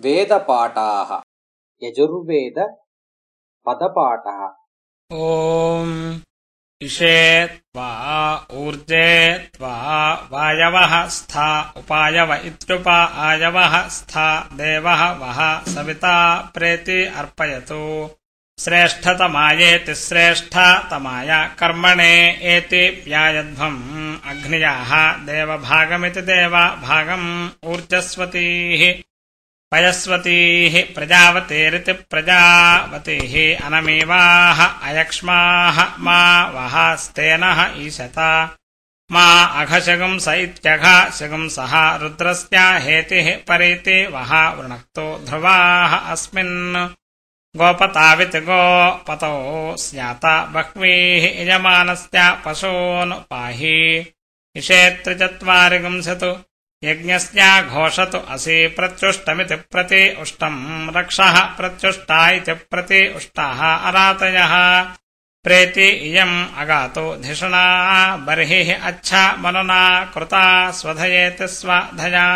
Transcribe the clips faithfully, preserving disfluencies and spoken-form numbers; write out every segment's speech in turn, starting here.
वेदपाठाः यजुर्वेद पदपाठः। ओम इषे त्वा ऊर्जे त्वा वायवः स्था उपायव इत्युपा आयवः स्था देवः वः सविता प्रेति अर्पयतु। श्रेष्ठतमायेति श्रेष्ठतमाय कर्मणे एति व्यायध्वम् अग्न्याः देवभागमिति देवभागम् ऊर्जस्वतीः पयस्वतीः प्रजावतीरिति प्रजावतीः अनमीवाः अयक्ष्माः मा वः स्तेनः ईशत मा अघशगुंस इत्यघशगुंसः रुद्रस्य हेतिः परीति वः वृणक्तो ध्रुवाः अस्मिन् गोपताविति गोपतो स्यात बह्वीः यजमानस्य पशून् पाहि इषेत्रिचत्वारि गुंसतु यज्ञस्य घोषतु असि प्रत्युष्टमिति प्रति उष्टम् रक्षः प्रत्युष्टा इति प्रति उष्टाः अरातयः प्रेति इयम् अगातो धिषणा बर्हिः अच्छा मनुना कृता स्वधयेति स्वधया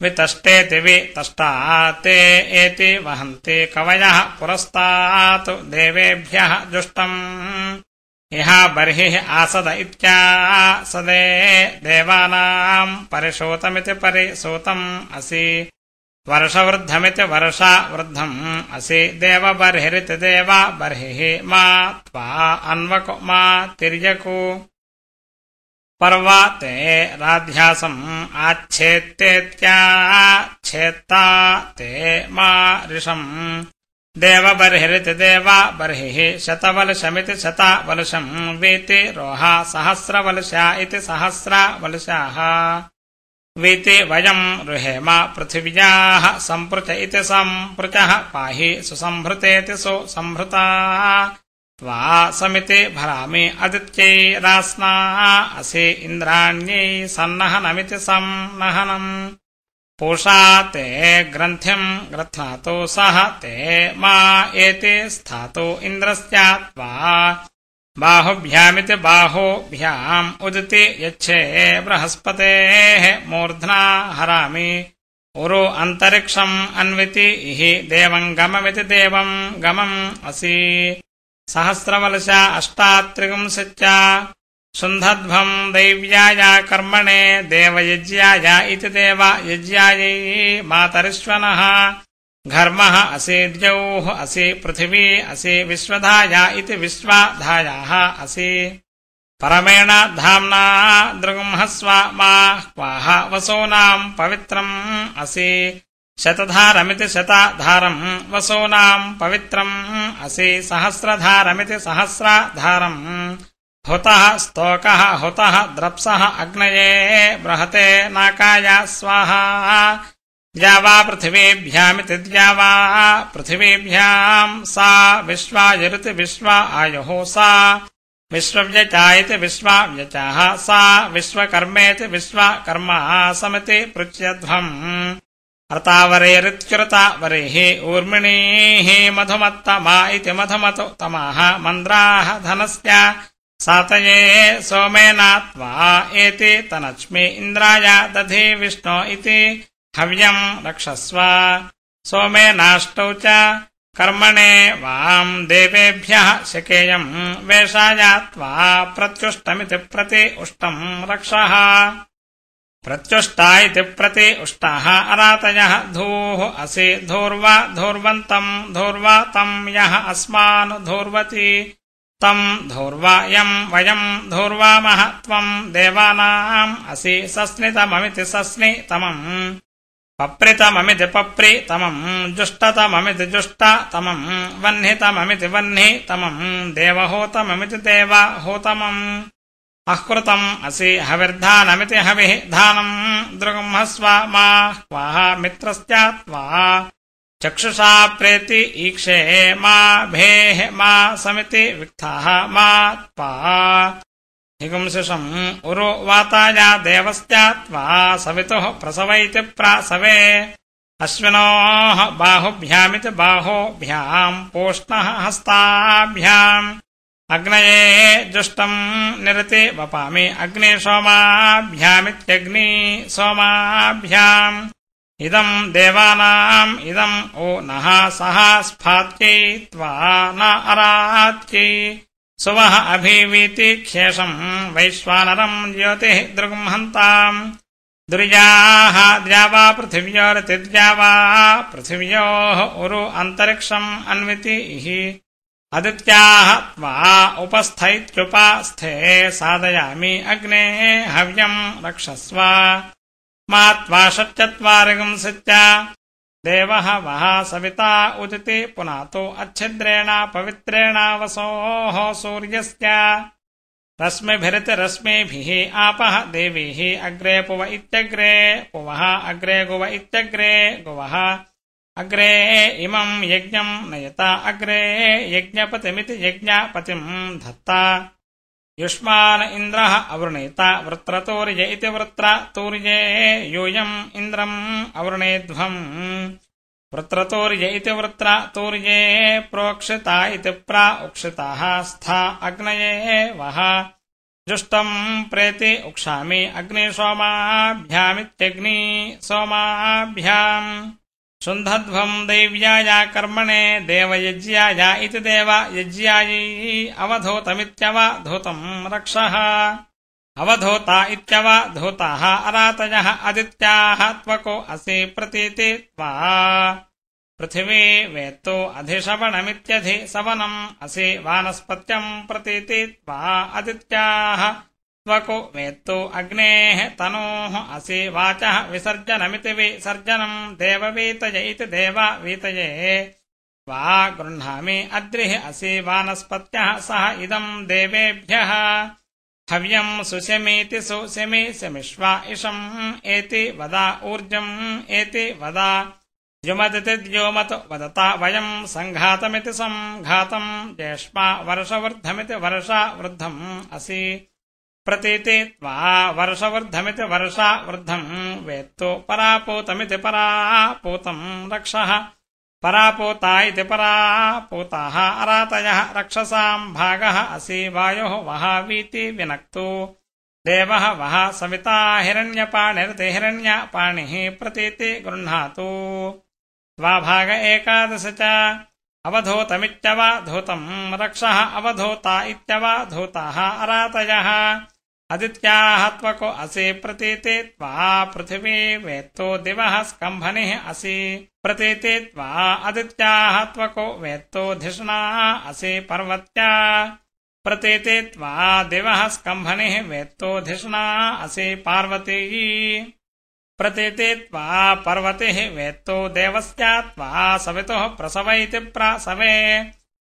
वितष्टेति वितष्टा ते एति वहन्ति कवयः पुरस्तात् देवेभ्यः जुष्टम् इह बर्हिः आसद इत्यासदे देवानाम् परिशोतमिति परिशोतम् असि वर्षवृद्धमिति वर्षवृद्धम् असि देवबर्हिरिति देवबर्हिः मा त्वा अन्वको मा तिर्यकु पर्वते राध्यासम् आच्छेत्तेत्याच्छेत्ता ते मा ऋषम् देवबर्हिरिति देवबर्हिः शतवलशमिति शतवलशम् वीति रोहा सहस्रवलशा इति सहस्रवलशाः वीति वयम् रुहेम पृथिव्याः सम्पृच इति सम्पृचः पाहि सुसम्भृतेति सुसम्भृता त्वा समिति भरामि अदित्यै असि इन्द्राण्यै सन्नहनमिति सन्नहनम् पूषा ते ग्रन्थिम् ग्रथ्नातु सह ते मा एति स्थातु इन्द्रस्य त्वा बाहुभ्यामिति बाहुभ्याम् उदिति यच्छे बृहस्पतेः मूर्ध्ना हरामि उरु अन्तरिक्षम् अन्विति इहि देवम् गममिति देवम् गमम् असि सहस्रवलशा अष्टात्रिगुंसच्च शुन्धध्वम् दैव्याय कर्मणे देवयज्ञाय इति देवयज्ञायै मातरिश्वनः घर्मः असि द्यौः असि पृथिवी असि विश्वधाया इति विश्वधायाः असि परमेण धाम्ना दृगुंहस्व मा क्वाह वसूनाम् पवित्रम् असि शतधारमिति शतधारम् वसूनाम् पवित्रम् असि सहस्रधारमिति सहस्रधारम् हुतः स्तोकः हुतः द्रप्सः अग्नये बृहते नाकाय स्वाहा द्यावा पृथिवीभ्यामिति द्यावा पृथिवीभ्याम् सा विश्वायुरिति विश्वा आयुः सा विश्वव्यचा इति विश्वव्यचाः सा विश्वकर्मेति विश्वकर्मा समिति पृच्छ्यध्वम् अर्तावरेरित्युरतावरेः ऊर्मिणीः मधुमत्तमा इति मधुमतो तमाः मन्द्राः धनस्य सातये सोमेन त्वा एति तनच्मि इन्द्राय दधि विष्णो इति हव्यम् रक्षस्व सोमेनाष्टौ च कर्मणे वाम् देवेभ्यः शकेयम् वेषाय त्वा प्रत्युष्टमिति प्रति उष्टम् रक्षः प्रत्युष्टा इति प्रति उष्टाः अरातयः धूः असि धूर्वा धूर्वन्तम् धूर्वा तम् यः अस्मान् धूर्वति तम् धूर्वायम् वयम् धूर्वामः त्वम् देवानाम् असि सस्नितममिति सस्नितमम् पप्रितममिति पप्रितमम् जुष्टतममिति जुष्टतमम् वह्नितममिति वह्नितमम् देवहोतममिति देवहोतमम् अकृतम् असि हविर्धानमिति हविः धानम् दृगुंहस्व मा क्वाह मित्रस्य त्वा चक्षुषा प्रेति ईक्षे मा भेः मा समिति विक्थाः मा त्वा हिगुंसिषम् उरु वाताय देवस्य त्वा सवितुः प्रसवैति प्रासवे अश्विनोः बाहुभ्यामिति बाहुभ्याम् पूष्णः हस्ताभ्याम् अग्नये जुष्टम् निरति वपामि अग्नि सोमाभ्यामित्यग्नि सोमाभ्याम् इदम् देवानाम् इदम् ओ नः सः स्फात्यै त्वा न अरात्यै सुवः अभिवीति ख्येषम् वैश्वानरम् ज्योतिः दृग्महन्ताम् दुर्याः द्यावा पृथिव्योरतिद्यावा पृथिव्योः उरु अन्तरिक्षम् अन्विति हि अदित्याः त्वा उपस्थैत्युपास्थे साधयामि अग्ने हव्यम् रक्षस्व मा त्वा षट्चत्वारिगुंसित्य देवः वः सविता उदिति पुनातो अच्छिद्रेण पवित्रेण वसोः सूर्यस्य रश्मिभिरिति रश्मिभिः आपः देवीः अग्रे पुव इत्यग्रे पुवः अग्रे गुव इत्यग्रे गुवः अग्रे इमम् यज्ञम् नयता अग्रे यज्ञपतिमिति यज्ञपतिम् धत्ता युष्मान् इन्द्रः अवृणीता वृत्रतूर्य इति वृत्रतूर्ये यूयम् इन्द्रम् अवृणेध्वम् वृत्रतूर्य इति वृत्रतूर्ये प्रोक्षिता इति प्राउक्षिताः स्था अग्नये वः जुष्टम् प्रेति उक्षामि अग्निसोमाभ्यामित्यग्नि सोमाभ्याम् शुन्धध्वम् दैव्याय कर्मणे देवयज्ञाय इति देवयज्ञायै अवधूतमित्यवधूतम् रक्षः अवधूता इत्यवधूताः अरातयः अदित्याः त्वको असि प्रतीति त्वा पृथिवी वेत्तो अधिशवनमित्यधिसवनम् असि वानस्पत्यम् प्रतीति त्वा अदित्याः त्वको वेत्तो अग्नेः तनोः असि वाचः विसर्जनमिति विसर्जनम् देववीतय इति देववीतये त्वा गृह्णामि अद्रिः असि वानस्पत्यः सह इदम् देवेभ्यः हव्यम् सुशमीति सुशमि शमिष्वा इषम् एति वदा ऊर्जम् एति वदा द्युमदिति द्योमत् वदता वयम् सङ्घातमिति सङ्घातम् ज्येष्मा वर्षवृद्धमिति वर्षवृद्धम् असि प्रतीति त्वा वर्षवृद्धमिति वर्षवृद्धम् वेत्तो परापूतमिति परापूतम् रक्षः परापूता इति परापूताः अरातयः रक्षसाम् भागः असि वायोः वः वीति विनक्तु देवः वः सविता हिरण्यपाणिरिति हिरण्यपाणिः प्रतीति गृह्णातु त्वा भाग एकादश च अवधूतमित्यवधूतम् रक्षः अवधूता इत्यवधूताः अरातयः अदित्याः त्वको असि प्रतीति त्वा पृथिवी वेत्तो दिवः स्कम्भनिः असि प्रतीति त्वा अदित्याः त्वको वेत्तो धिषणा असि पर्वत्या प्रतीति त्वा दिवः स्कम्भनिः वेत्तो धिषणा असि पार्वती प्रतीति त्वा पर्वतिः वेत्तो देवस्य त्वा सवितुः प्रसव इति प्रसवे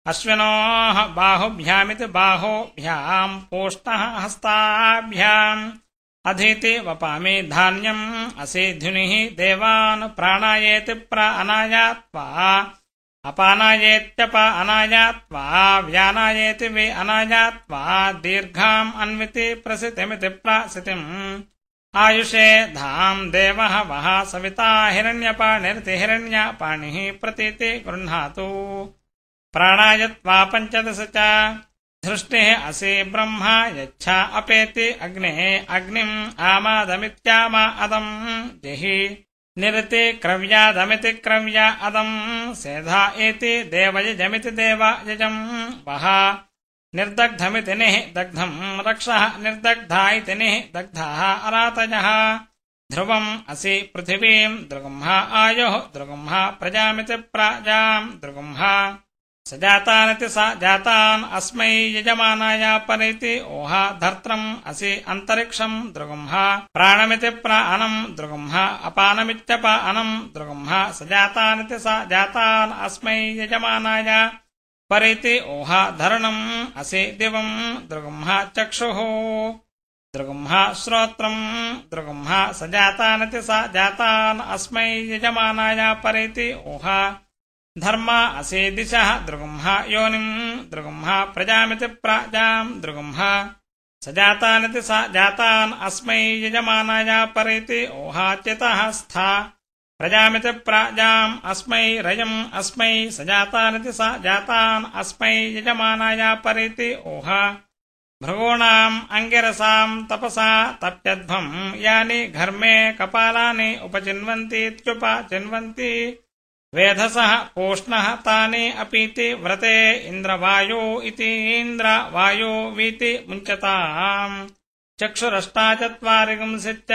अश्विनोः बाहुभ्यामिति बाहोभ्याम् पोष्णः हस्ताभ्याम् अधीति वपामि धान्यम् असि ध्युनिः देवान् प्राणायेति प्राणाय त्वा अपानायेत्यप अनाय त्वा व्यानायेति वि अनाय त्वा दीर्घाम् अन्विति प्रसितिमिति प्रसितिम् आयुषे धाम् देवः वः सविता हिरण्यपाणिरिति हिरण्यपाणिः प्रतीति गृह्णातु प्राणाय त्वा पञ्चदश च धृष्टिः असि ब्रह्मा यच्छा अपेति अग्नेः अग्निम् आमादमित्यामा अदम् जहि निरति क्रव्यादमिति क्रव्या अदम् सेधा एति देवयजमिति देवयजम् वः निर्दग्धमिति निः दग्धम् रक्षः निर्दग्धा इति निः दग्धाः अरातयः ध्रुवम् असि पृथिवीम् दृगुम्हा आयोः दृगुम्हा प्रजामिति प्रजाम् दृगुम्हा स जातानिति स जातान् अस्मै यजमानाय परिति ओहा धर्त्रम् असि अन्तरिक्षम् दृगुम्हा प्राणमिति प्राणम् दृगुम्हा अपानमित्यपानम् दृगुम्हा स जातानिति स जातान् अस्मै यजमानाय परिति ओहा धरणम् असि दिवम् दृगुम्हा चक्षुः दृगुम्हा श्रोत्रम् दृगुम्हा स जातानिति स जातान् अस्मै यजमानाय परिति ओहा धर्मा असि दिशः दृगुम्हा योनिम् दृगुम्हा प्रजामिति प्रजाम् दृगुम्हा स जातानिति स जातान् अस्मै यजमानाय परिति ओहा चितः स्था प्रजामिति प्रजाम् अस्मै रयम् अस्मै स जातानिति स जातान् अस्मै यजमानाय परिति ओहा भृगूणाम् अंगिरसाम् तपसा तप्यध्वम् यानि घर्मे कपालानि उपचिन्वन्तीत्युपचिन्वन्ति वेधसः पूष्णः तानि अपीति व्रते इन्द्रवायो इति इन्द्रवायो वीति मुञ्चताम् चक्षुरष्टाचत्वारिगुंसित्य